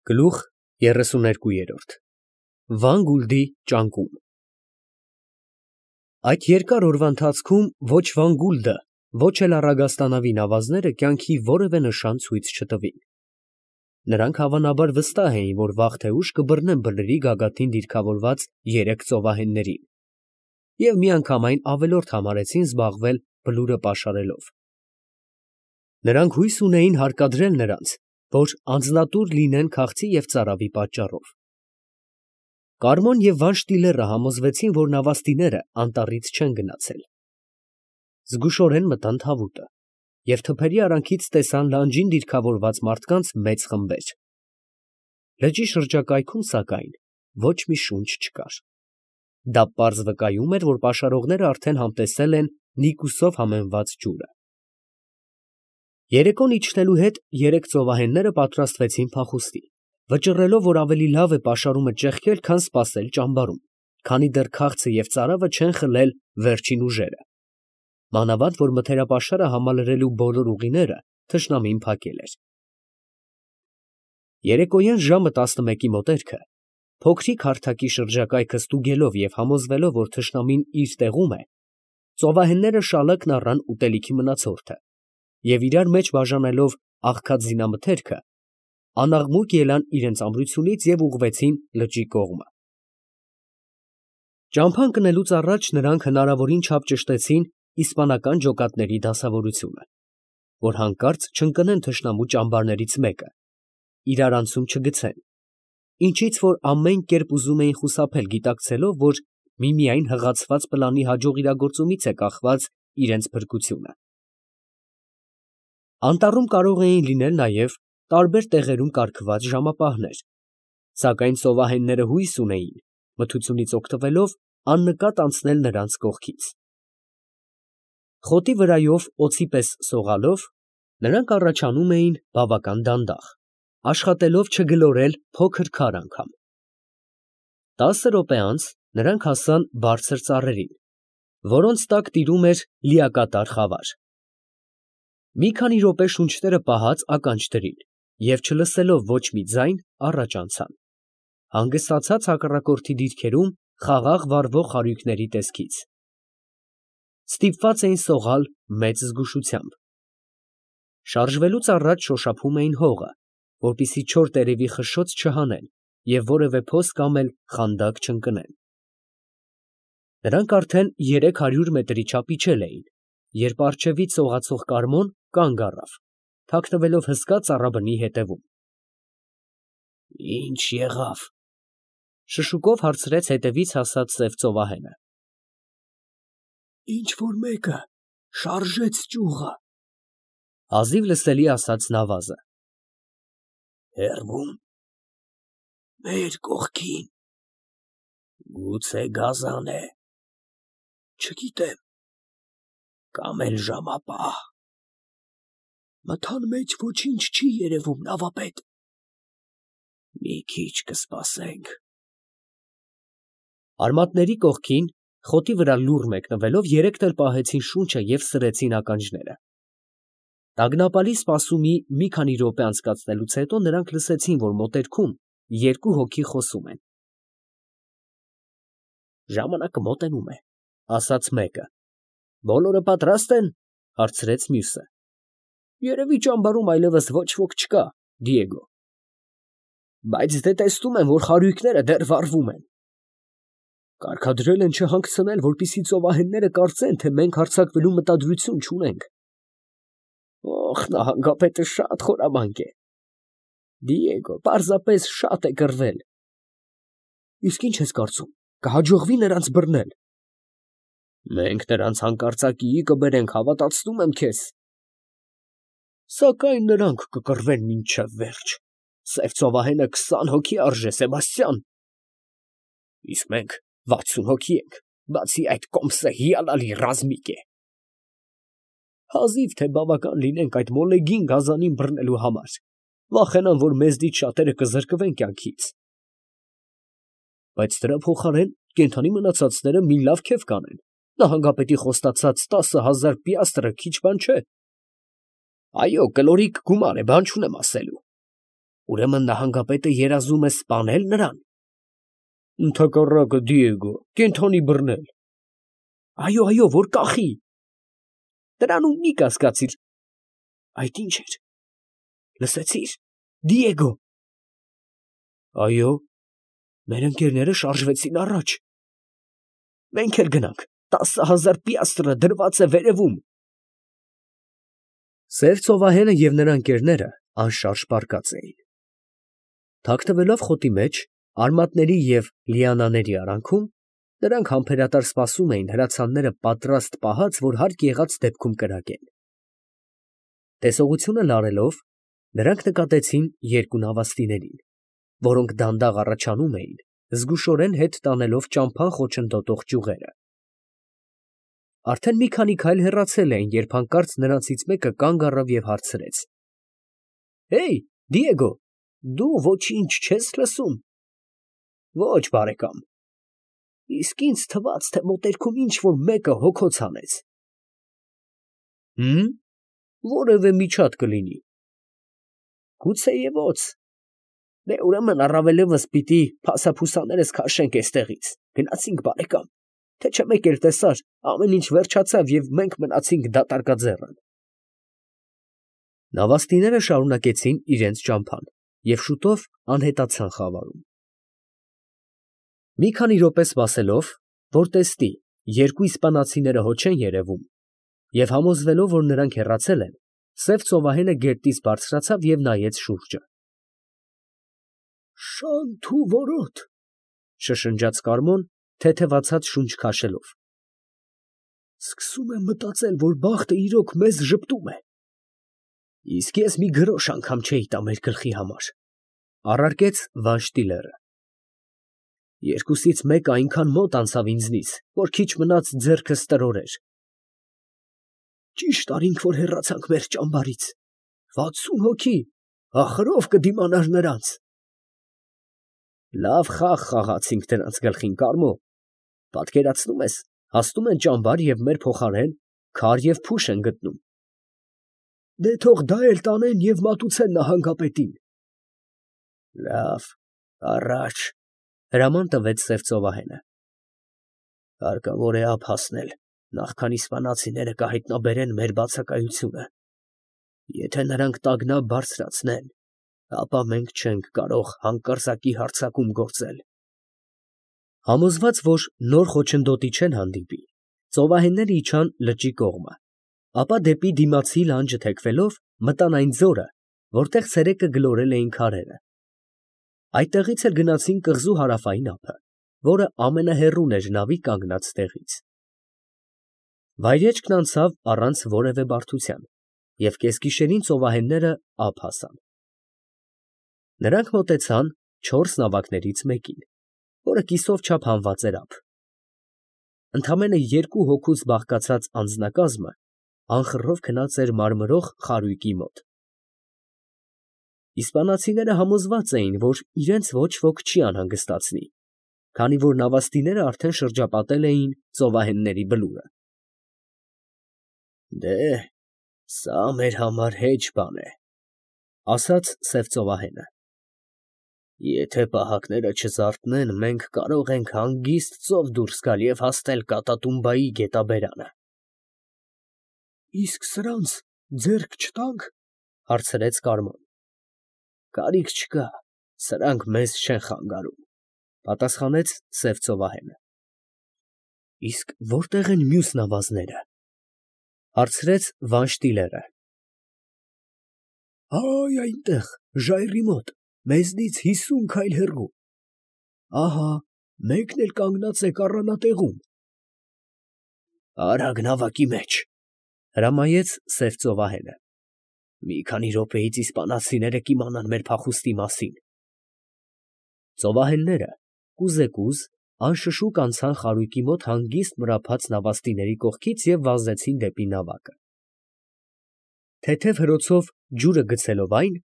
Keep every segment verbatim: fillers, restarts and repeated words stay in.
Գլուխ երեսուներկու։ Վան Գուլդի ճանկում։ Այդ երկար օրվա ընթացքում ոչ Վան Գուլդը, ոչ էլ առագաստանավին ավազները կյանքի որևէ նշան ցույց չտվին. նրանք հավանաբար վստահ էին, որ վաղ թե ուշ կբռնեն բլրի գագաթին դիրքավորված երեք ծովահեններին և միանգամայն ավելորդ համարեցին զբաղվել բլուրը պաշարելով։ Նրանք հույս ունեին հարկադրել նրանց, որ անձնատուր լինեն քաղցի և ծարավի պատճառով։ Կարմոն և Վանշտիլերը համոզվեցին, որ նավաստիները անտառից չեն գնացել։ Զգուշորեն մտան թավուտը և թփերի արանքից տեսան լանջին դիրքավորված մարդկանց մեծ խմբեր։ Լճի շրջակայքում, սակայն, ոչ մի շունչ չկար։ Դա պարզ վկայում էր, որ պաշարողները արդեն համտեսել են Նիկուսով համեմված ջուրը։ Երեկոն իջնելու հետ երեք ծովահենները պատրաստվեցին փախուստի, վճռելով, որ ավելի լավ է պաշարումը ճեղքել, քան սպասել ճամբարում, քանի դեռ քաղցը և ծարավը չեն խլել վերջին ուժերը, մանավանդ որ մթերապաշարը համալրելու բոլոր ուղիները թշնամին փակել էր։ Երեկոյան ժամը տասնմեկի մոտերքը, փոքրիկ հարթակի շրջակայքը ստուգելով և համոզվելով, որ թշնամին իր տեղում է, ծովահենները շալակն առան ուտելիքի մնացորդը և իրար մեջ բաժանելով աղքատ զինամթերքը, անաղմուկ ելան իրենց ամրությունից և ուղղվեցին լճի կողմը։ Ճամփա ընկնելուց առաջ նրանք հնարավորին չափ ճշտեցին իսպանական ջոկատների դասավորությունը, որ հանկարծ չընկնեն թշնամու ճամբարներից մեկը, իրար անցում չգցեն, ինչից որ ամեն կերպ ուզում էին խուսափել, գիտակցելով, որ միմիայն հղացված պլանի հաջող իրագործումից է կախված իրենց փրկությունը։ Անտառում կարող էին լինել նաև տարբեր տեղերում կարգված ժամապահներ, սակայն ծովահենները հույս ունեին, մթությունից օգտվելով, աննկատ անցնել նրանց կողքից։ Խոտի վրայով օձի պես սողալով, նրանք առաջանում էին բավական դանդաղ, աշխատելով չգլորել փոքր քար անգամ։ Տասը րոպե անց նրանք հասան բարձր ծառերին, որոնց տակ տիրում էր լիակատար խավար։ Մի քանի րոպե շունչները պահած ականջ դրին և չլսելով ոչ մի ձայն, առաջ անցան, հանգստացած հակառակորդի դիրքերում խաղաղ վառվող խարույկների տեսքից։ Ստիպված էին սողալ մեծ զգուշությամբ։ Շարժվելուց առաջ շոշափում էին հողը, որպեսզի չոր տերևի խշշոց չհանեն և որևէ փոս կամ էլ խանդակ չընկնեն։ Նրանք արդեն երեք հարյուր մետրի չափ իջել էին, երբ առջևից սողացող Կարմոն կանգ առավ, թաքնվելով հսկա ծառաբնի ետևում։ ֊ Ի՞նչ եղավ, ֊ շշուկով հարցրեց հետևից հասած սև ծովահենը։ ֊ Ինչ֊որ մեկը շարժեց ճյուղը, ֊ հազիվ լսելի ասաց նավազը։ ֊ Հեռվո՞ւմ։ ֊ Մեր կողքին։ ֊ Գուցե գազան է։ ֊ Չգիտեմ։ ֊ Կամ էլ ժամապահ։ ֊ Մթան մեջ ոչինչ չի երևում, նավապետ։ ֊ Մի քիչ կսպասենք։ Արմատների կողքին, խոտի վրա լուռ մեկնվելով, երեքն էլ պահեցին շունչը և սրեցին ականջները։ Տագնապալի սպասումի մի քանի րոպե անցկացնելուց հետո նրանք լսեցին, որ մոտերքում երկու հոգի խոսում են։ ֊ Ժամանակը մոտենում է, ֊ ասաց մեկը։ ֊ Բոլորը պատրաստ են, ֊ հարցրեց մյուսը։ ֊ Երևի ճամբարում այլևս ոչ ոք չկա, Դիեգո։ ֊ Բայց դե տեսնում եմ, որ խարույկները դեռ վառվում են։ ֊ Կարգադրել են չհանգցնել, որպեսզի ծովահենները կարծեն, թե մենք հարձակվելու մտադրություն չունենք։ ֊ Օխ, նահանգապետը շատ խորամանկ է։ ֊ Դիեգո, պարզապես շատ է կռվել։ ֊ Իսկ ի՞նչ ես կարծում, կհաջողվի՞ նրանց բռնել։ ֊ Մենք նրանց հանկարծակիի կբերենք, հավատացնում եմ քեզ։ ֊ Սակայն նրանք կկռվեն մինչև վերջ. սև ծովահենը քսան հոգի արժե, Սեբաստիան։ ֊ Իսկ մենք վաթսուն հոգի ենք, բացի այդ կոմսը հիանալի ռազմիկ է։ ֊ Հազիվ թե բավական լինենք այդ մոլեգին գազանին բռնելու համար, վախենամ, որ մեզնից շատերը կզրկվեն կյանքից։ ֊ Բայց դրա փոխարեն կենդանի մնացածները մի լավ քեֆ կանեն, նահանգապետի խոստացած տասը հազար պիաստրը քիչ բան չէ։ ֊ Այո, կլորիկ գումար է, բան չունեմ ասելու։ Ուրեմն նահանգապետը երազում է սպանել նրան։ Ընդհակառակը, Դիեգո, կենդանի բռնել։ Այո, այո, որ կախի։ Դրանում մի կասկածիր։ Այդ ինչ էր։ Լսեցի՞ր, Դիեգո։ Այո, մեր ընկերները շարժվեցին առաջ։ Մենք էլ գնանք, տասը հազար պիաստրը դրված է վերևում։ Սև ծովահենը և նրա ընկերները անշարժ պառկած էին։ Թաքնվելով խոտի մեջ, արմատների և լիանաների արանքում, նրանք համբերատար սպասում էին հրացանները պատրաստ պահած, որ հարկ եղած դեպքում կրակեն։ Տեսողությունը լարելով, նրանք նկատեցին երկու նավաստիներին, որոնք դանդաղ առաջանում էին, զգուշորեն հետ տանելով ճամփան խոչընդոտող ճյուղերը։ Արդեն մի քանի քայլ հեռացել էին, երբ հանկարծ նրանցից մեկը կանգ առավ և հարցրեց. Հեյ, Դիեգո, դու ոչինչ չես լսում։ Ոչ, բարեկամ։ Իսկ ինձ թվաց, թե մոտերքում ինչ֊որ մեկը հոգոց հանեց։ Հմ, որևէ միջատ կլինի։ Գուցեևոց։ Դե ուրեմն առավելևս պիտի փասափուսաներս քաշենք էստեղից։ Գնացինք, բարեկամ, թե չէ մեկ էլ տեսար, ամեն ինչ վերջացավ և մենք մնացինք դատարկաձեռն։ Նավաստիները շարունակեցին իրենց ճամփան և շուտով անհետացան խավարում։ Մի քանի րոպե սպասելով, որ տեսնի, երկու իսպանացիները հո չեն երևում, և համոզվելով, որ նրանք հեռացել են, սև ծովահենը գետնից բարձրացավ և նայեց շուրջը։ Շանթ ու որոտ, շշնջաց Կարմոն, թեթևացած շունչ քաշելով։ Սկսում եմ մտածել, որ բախտը իրոք մեզ ժպտում է։ Իսկ ես մի գրոշ անգամ չէի տա մեր գլխի համար, առարկեց Վանշտիլերը։ Երկուսից մեկը այնքան մոտ անցավ ինձնից, որ քիչ մնաց ձեռքս տրորեր։ Ճիշտ արինք, որ հեռացանք մեր ճամբարից։ Վաթսուն հոգի, ախր ով կդիմանար նրանց։ Լավ խաղ խաղացինք դրանց գլխին, Կարմո։ Պատկերացնում ես, հասնում են ճամբար և մեր փոխարեն քար և փուշ են գտնում։ Դե թող դա էլ տանեն և մատուցեն նահանգապետին։ Լավ, առաջ, հրաման տվեց սև ծովահենը։ Հարկավոր է ափ հասնել, նախքան իսպանացիները կհայտնաբերեն մեր բացակայությունը։ Եթե նրանք տագնապ բարձրացնեն, ապա մենք չենք կարող հանկարծակի հարձակում գործել։ Համոզված, որ նոր խոչընդոտի չեն հանդիպի, ծովահենները իջան լճի կողմը, ապա դեպի դիմացի լանջը թեքվելով մտան այն ձորը, որտեղ ցերեկը գլորել էին քարերը։ Այդտեղից էլ գնացին կղզու հարավային ափը, որը ամենահեռուն էր նավի կանգնած տեղից։ Վայրեջքն անցավ առանց որևէ բարդության, և կեսգիշերին ծովահենները ափ հասան։ Նրանք մոտեցան չորս նավակներից մեկին, որը կիսով չափ հանված էր ափ։ Ընդամենը երկու հոգուց բաղկացած անձնակազմը անխռով քնած էր մարմրող խարույկի մոտ։ Իսպանացիները համոզված էին, որ իրենց ոչ ոք չի անհանգստացնի, քանի որ նավաստիները արդեն շրջապատել էին ծովահենների բլուրը։ Դե, սա մեր համար հեչ բան է, ասաց սև ծովահենը։ Եթե պահակները չզարթնեն, մենք կարող ենք հանգիստ ծով դուրս գալ և հասնել Կատատումբայի գետաբերանը։ Իսկ սրանց ձեռք չտա՞նք, հարցրեց Կարմոն։ Կարիք չկա, սրանք մեզ չեն խանգարում, պատասխանեց սև ծովահենը։ Իսկ որտե՞ղ են մյուս նավազները, հարցրեց Վանշտիլերը։ Այ այնտեղ, ժայռի մոտ, մեզնից հիսուն քայլ հեռու։ Ահա, մեկն էլ կանգնած է կառանատեղում։ Արագ նավակի մեջ, հրամայեց սև ծովահենը։ Մի քանի րոպեից իսպանացիները կիմանան մեր փախուստի մասին։ Ծովահենները կուզեկուզ անշշուկ անցան խարույկի մոտ հանգիստ մրափած նավաստիների կողքից և վազեցին դեպի նավակը։ Թեթև հրոցով ջուրը գցելով այն,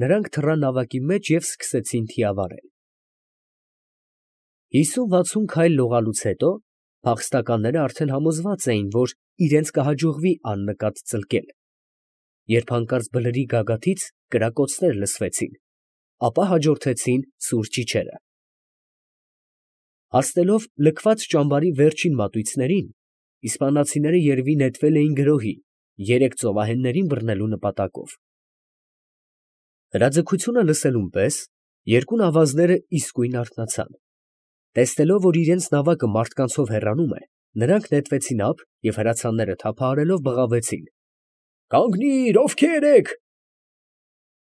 նրանք թռան նավակի մեջ և սկսեցին թիավարել։ Հիսուն֊վաթսուն քայլ լողալուց հետո փախստականները արդեն համոզված էին, որ իրենց կհաջողվի աննկատ ծլկել, երբ հանկարծ բլրի գագաթից կրակոցներ լսվեցին, ապա հաջորդեցին սուր ճիչերը։ Հասնելով լքված ճամբարի վերջին մատույցներին, իսպանացիները երևի նետվել էին գրոհի երեք ծովահեններին բռնելու նպատակով։ Հրաձգությունը լսելուն պես երկու ավազները իսկույն արթնացան։ Տեսնելով, որ իրենց նավակը մարդկանցով հեռանում է, նրանք նետվեցին ափ և հրացանները թափահարելով բղավեցին. «Կանգնի՛ր, ովքե՞ր եք»։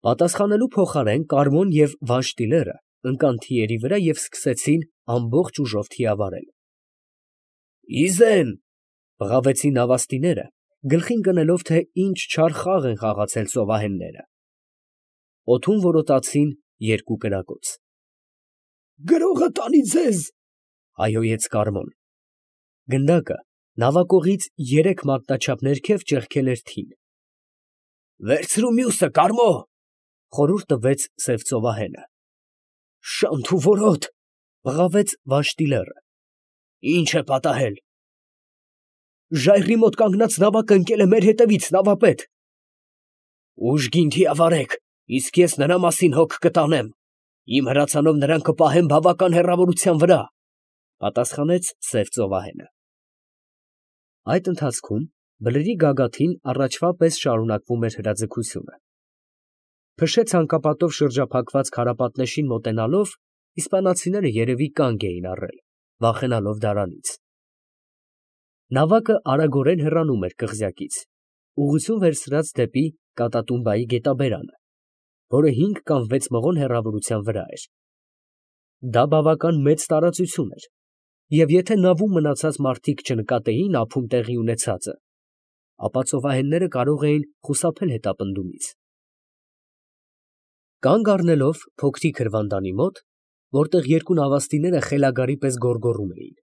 Պատասխանելու փոխարեն Կարմոն և Վանշտիլերը ընկան թիերի վրա և սկսեցին ամբողջ ուժով թիավարել։ «Իզեն», բղավեցին նավաստիները, գլխին կնելով, թե ինչ չար խաղ են խաղացել ծովահենները։ Օդում որոտացին երկու կրակոց։ «Գրողը տանի ձեզ», հայհոյեց Կարմոն։ Գնդակը նավակողից երեք մատնաչափ ներքև ճեղքել էր թին։ «Վերցրու մյուսը, Կարմո», խորհուրդ տվեց սև ծովահենը։ «Շանթ ու որոտ», բղավեց Վանշտիլերը։ «Ի՞նչ է պատահել»։ «Ժայռի մոտ կանգնած նավակը ընկել է մեր հետևից, նավապետ»։ «Ուժգին թիավարեք, իսկ ես նրա մասին հոգ կտանեմ. իմ հրացանով նրան կպահեմ բավական հեռավորության վրա», պատասխանեց սև ծովահենը։ Այդ ընթացքում բլրի գագաթին առաջվա պես շարունակվում էր հրաձգությունը։ Փշե ցանկապատով շրջափակված քարապատնեշին մոտենալով, իսպանացիները երևի կանգ էին առել, վախենալով դարանից։ Նավակը արագորեն հեռանում էր կղզյակից, ուղղություն վերցրած դեպի Կատատումբայի գետաբերանը, որը հինգ կամ վեց մղոն հեռավորության վրա էր։ Դա բավական մեծ տարածություն էր, և եթե նավում մնացած մարդիկ չնկատեին ափում տեղի ունեցածը, ապա ծովահենները կարող էին խուսափել հետապնդումից։ Կանգ առնելով փոքրիկ հրվանդանի մոտ, որտեղ երկու նավաստիները խելագարի պես գոռգոռում էին,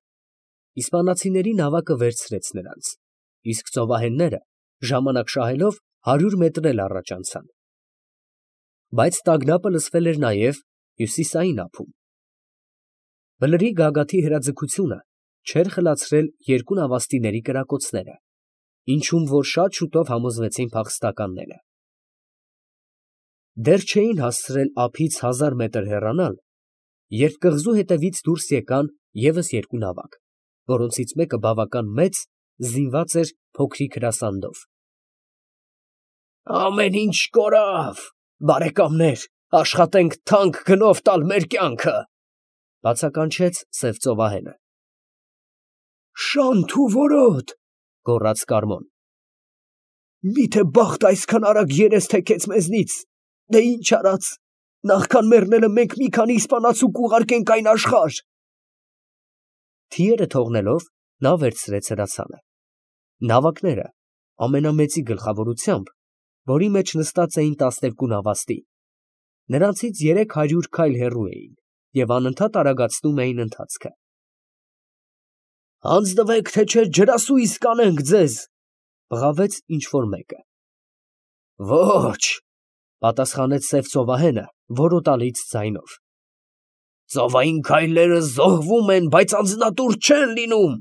իսպանացիների նավակը վերցրեց նրանց, իսկ ծովահենները, ժամանակ շահելով, հարյուր մետր էլ առաջ անցան։ Բայց տագնապը լսվել էր նաև հյուսիսային ափում։ Բլրի գագաթի հրաձգությունը չէր խլացրել երկու նավաստիների կրակոցները, ինչում որ շատ շուտով համոզվեցին փախստականները։ Դեռ չէին հասցրել ափից հազար մետր հեռանալ, երբ կղզու հետևից դուրս եկան ևս երկու նավակ, որոնցից մեկը բավական մեծ, զինված էր փոքրիկ հրասանդով։ «Ամեն ինչ կորավ, բարեկամներ, աշխատենք թանկ գնով տալ մեր կյանքը», բացականչեց սև ծովահենը։ «Շանթ ու որոտ», գոռաց Կարմոն։ «Միթե բախտը այսքան արագ երես թեքեց մեզնից, դե ինչ արած, նախքան մեռնելը մենք մի քանի իսպանացու կուղարկենք այն աշխարհ»։ Թիերը թողնելով, նա վերցրեց հրացանը։ Նավակները ամենամեծի գլխավորությամբ, որի մեջ նստած էին տասներկու նավաստի, նրանցից երեք հարյուր քայլ հեռու էին և անընդհատ արագացնում էին ընթացքը։ «Հանձնվեք, թե չէ ջրասույզ կանենք ձեզ», բղավեց ինչ֊որ մեկը։ «Ոչ», պատասխանեց սև ծովահենը որոտալից ձայնով։ «Ծովային գայլերը զոհվում են, բայց անձնատուր չեն լինում»։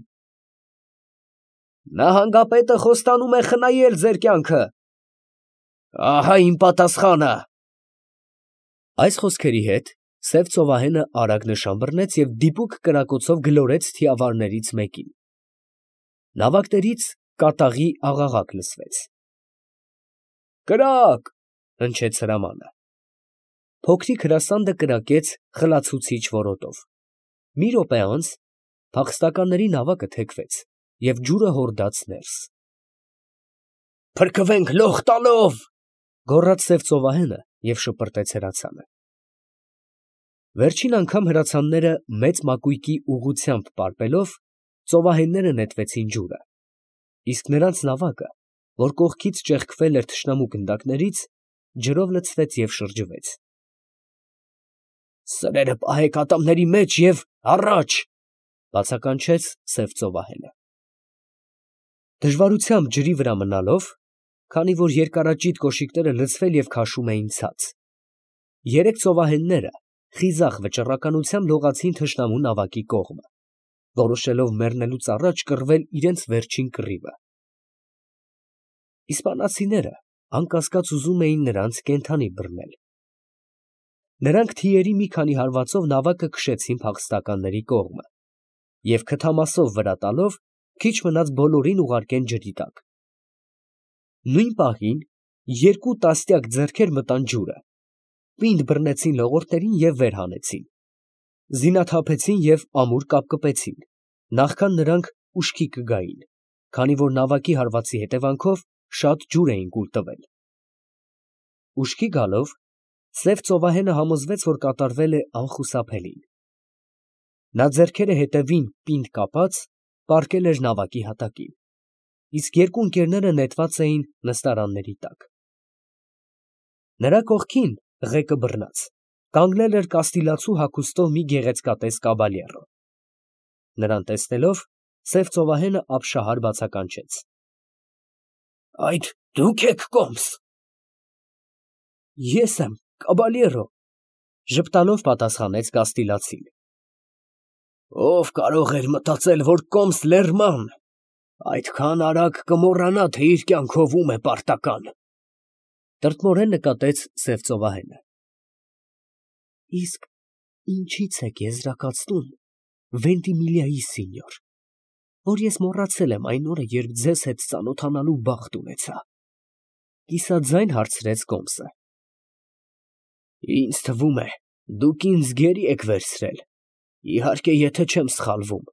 «Նահանգապետը խոստանում է խնայել ձեր կյանքը»։ «Ահա իմ պատասխանը»։ Այս խոսքերի հետ սև ծովահենը արագ նշան բռնեց և դիպուկ կրակոցով գլորեց թիավարներից մեկին։ Նավակներից կատաղի աղաղակ լսվեց։ «Կրակ», հնչեց հրամանը։ Փոքրիկ հրասանդը կրակեց խլացուցիչ որոտով։ Մի րոպե անց փախստականների նավակը թեքվեց և ջուրը հորդաց ներս։ «Փրկվենք լող տալով», գոռաց սև ծովահենը և շպրտեց հրացանը։ Վերջին անգամ հրացանները մեծ մակույկի ուղղությամբ պարպելով, ծովահենները նետվեցին ջուրը, իսկ նրանց նավակը, որ կողքից ճեղքվել էր թշնամու գնդակներից, ջրով լցվեց և շրջվեց։ «Սրերը պահեք ատամների մեջ և առաջ», բացականչեց սև ծովահենը։ Դժվարությամբ ջրի վրա մնալով, քանի որ երկարաճիտ կոշիկները լցվել և քաշում էին ցած, երեք ծովահենները խիզախ վճռականությամբ լողացին թշնամու նավակի կողմը, որոշելով մեռնելուց առաջ կռվել իրենց վերջին կռիվը։ Իսպանացիները անկասկած ուզում էին նրանց կենդանի բռնել։ Նրանք թիերի մի քանի հարվածով նավակը քշեցին փախստականների կողմը և քթամասով վրա տալով քիչ մնաց բոլորին ուղարկեն ջրի տակ։ Նույն պահին երկու տասնյակ ձեռքեր մտան ջուրը, պինդ բռնեցին լողորտներին և վեր հանեցին, զինաթափեցին և ամուր կապկպեցին, նախքան նրանք ուշքի կգային, քանի որ նավակի հարվածի հետևանքով շատ ջուր էին կուլ տվել։ Ուշքի գալով սև ծովահենը համոզվեց, որ կատարվել է անխուսափելին։ Նա ձեռքերը հետևին պինդ կապած պառկել էր նավակի հատակին, իսկ երկու ընկերները նետված էին նստարանների տակ։ Նրա կողքին, ղեկը բռնած, կանգնել էր կաստիլացու հագուստով մի գեղեցկատես կաբալյերո։ Նրան տեսնելով, սև ծովահենը ապշահար բացականչեց. ֊ Այդ դու՞ք եք, կոմս։ ֊ Ես եմ, կաբալյերո, ֊ ժպտալով պատասխանեց կաստիլացին։ ֊ Ո՞վ կարող էր մտածել, որ կոմս լեռման այդքան արագ կմոռանա, թե իր կյանքով ում է պարտական, ֊ տրտմորեն նկատեց սև ծովահենը։ ֊ Իսկ ինչի՞ց եք եզրակացնում, Վենտիմիլիայի սինյոր, որ ես մոռացել եմ այն օրը, երբ ձեզ հետ ծանոթանալու բախտ ունեցա, ֊ կիսաձայն հարցրեց կոմսը։ ֊ Ինձ թվում է, դուք ինձ գերի եք վերցրել, իհարկե, եթե չեմ սխալվում։ ֊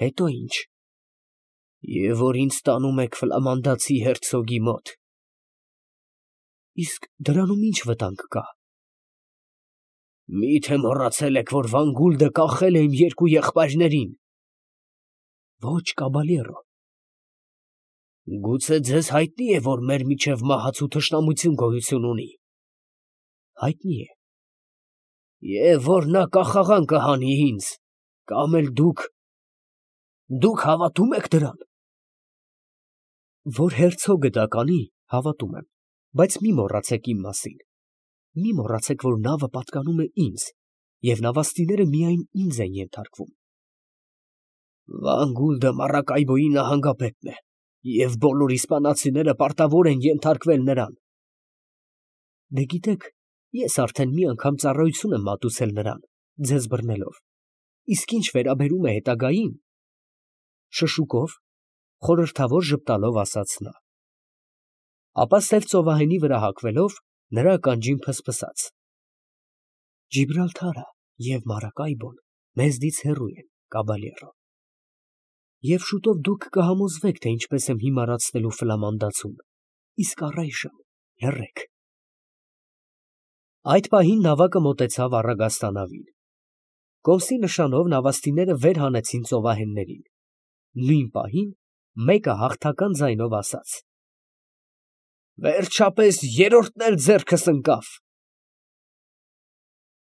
Հետո ի՞նչ։ ֊ Եվ որ ինձ տանում եք ֆլամանդացի հերցոգի մոտ։ ֊ Իսկ դրանում ի՞նչ վտանգ կա։ ֊ Մի՞թե մոռացել եք, որ Վանգուլդը կախել է իմ երկու եղբայրներին։ ֊ Ո՛չ, կաբալյերո։ ֊ Գուցե ձեզ հայտնի է, որ մեր միջև մահացու թշնամություն գոյություն ունի։ ֊ Հայտնի է։ ֊ Եվ որ նա կախաղան կհանի ինձ, կամ էլ դուք… դուք հավատո՞ւմ եք դրան։ ֊ Որ հերցոգը դա կանի, հավատում եմ, բայց մի մոռացեք իմ մասին, մի մոռացեք, որ նավը պատկանում է ինձ, և նավաստիները միայն ինձ են ենթարկվում։ ֊ Վանգուլդը Մարակայբոյի նահանգապետն է, և բոլոր իսպանացիները պարտավոր են ենթարկվել նրան։ ֊ Դե գիտեք, ես արդեն մի անգամ ծառայություն եմ մատուցել նրան, ձեզ բռնելով, իսկ ինչ վերաբերում է հետագային… շշուկով, խորհրդավոր ժպտալով ասաց նա։ Ապա սև ծովահենի վրա հագվելով, նրա ականջին ֆսֆսաց. Ջիբրալթարը և Մարակայբոն մեզնից հեռու են, կաբալյերո, և շուտով դուք կհամոզվեք, թե ինչպես եմ հիմարացնելու ֆլամանդացուն, իսկ առայժմ լռեք։ Այդ պահին նավակը մոտեցավ առագաստանավին։ Կոմսի նշանով նավաստիները վեր հանեցին ծովահեններին։ Նույն պահին մեկը հաղթական ձայնով ասաց. ֊ Վերջապես երրորդն էլ ձեռքս ընկավ։